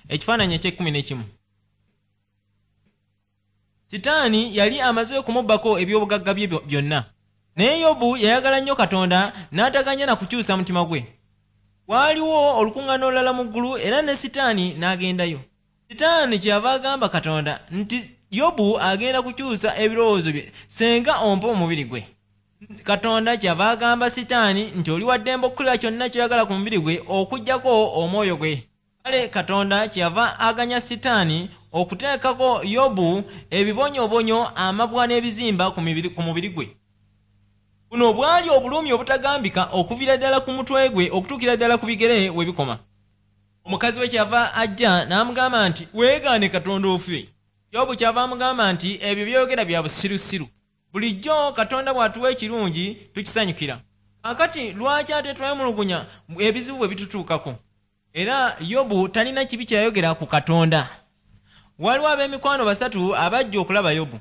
Ekifaananyi eky'ekkumi n'ekimu. Sitaani yali amaze okumubbako ebyobugagga bye byonna, naye Yobu yayagala nnyo Katonda n'ataganya na kukyusa mutima gwe. Waaliwo olukuŋŋaana olulala mu ggulu era ne Sitaani n'agendayo. Sitaani kyeyava agamba Katonda nti Yobu agenda kukyusa ebirowoozo bye senga ompa omubiri gwe. Katonda kyeyava agamba Sitaani nti oli wa ddembe okukola kyonna ky'oyagala ku mubiri gwe okuggyako omwoyo gwe. Kale Katonda kyeyava aganya Sitaani okuteekako Yobu ebibonyoobonyo, amabwa n'ebizimba ku mubiri gwe. Buno bwali obulumi obutagambika okuviira ddala ku mutwe gwe okutuukira ddala ku bigere we bikoma. Omukazi we kyeyava ajja n'amugamba nti, "Weegaane Katonda ofe." Yobu kyava amugamba nti, "Ebyo by'oyogera bya busirusiru. Bulijjo Katonda bw'atuwa ekirungi tukisanyukira. Kaakati lwaki ate twemulugunya ebizibu bwe bitutuukako?" Era Yobu talina kibi kye yayogera ku Katonda. Waliwo ab'emikwano basatu abajja okulaba Yobu.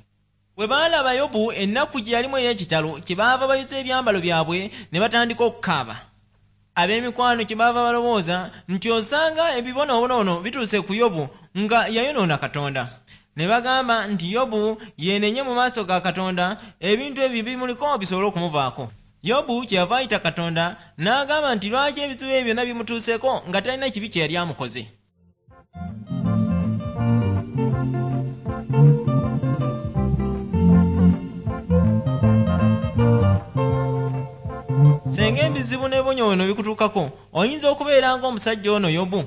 Bwe baalaba Yobu ennaku gye yalimu ey'ekitalo, kyebaava bayuza ebyambalo byabwe ne batandika okukaaba. Ab'emikwano kyebaava balowooza nti osanga ebibonoobono bituuse ku Yobu nga yayonoona Katonda. Ne bagamba nti Yobu yeenenye mu maaso ga Katonda ebintu ebyo bimuliko bisobole okumuvaako. Yobu kyeyava ayita Katonda n'agamba nti lwaki ebizibu ebyo byonna bimutuuseeko nga talina kibi kye yali amukoze. Senga ebizibu n'ebibonyoobonyo bikutuukako, oyinza okubeera ng'omusajja ono Yobu.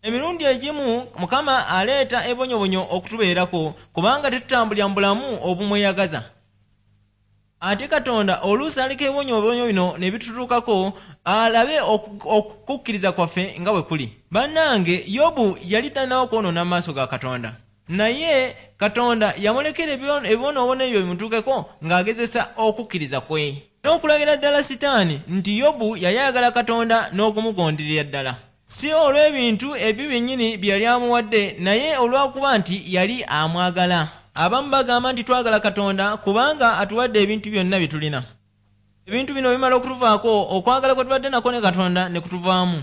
Emirundi egimu Mukama aleeta ebibonyoobonyo okutubeerako kubanga tetutambulira mu bulamu obumweyagaza. Ate Katonda oluusi aleka ebibonyoobonyo bino ne bitutuukako alabe okukkiriza kwaffe nga bwe kuli. Bannange, Yobu yali tannaba kwonoona mu maaso ga Katonda. Naye Katonda yamulekera ebibonoobono ebyo bimutuukeko ng'agezesa okukkiriza kwe. N'okulagira ddala Sitaani nti Yobu yali ayagala Katonda n'okumugonderera ddala. Si olw'ebintu ebyo byennyini bye yali amuwadde, naye olw'okuba nti yali amwagala. Abamu bagamba nti twagala Katonda kubanga atuwadde ebintu byonna bye tulina. Ebintu bino bimala okutuvaako, okwagala kwe tubadde nakwo ne Katonda ne kutuvaamu.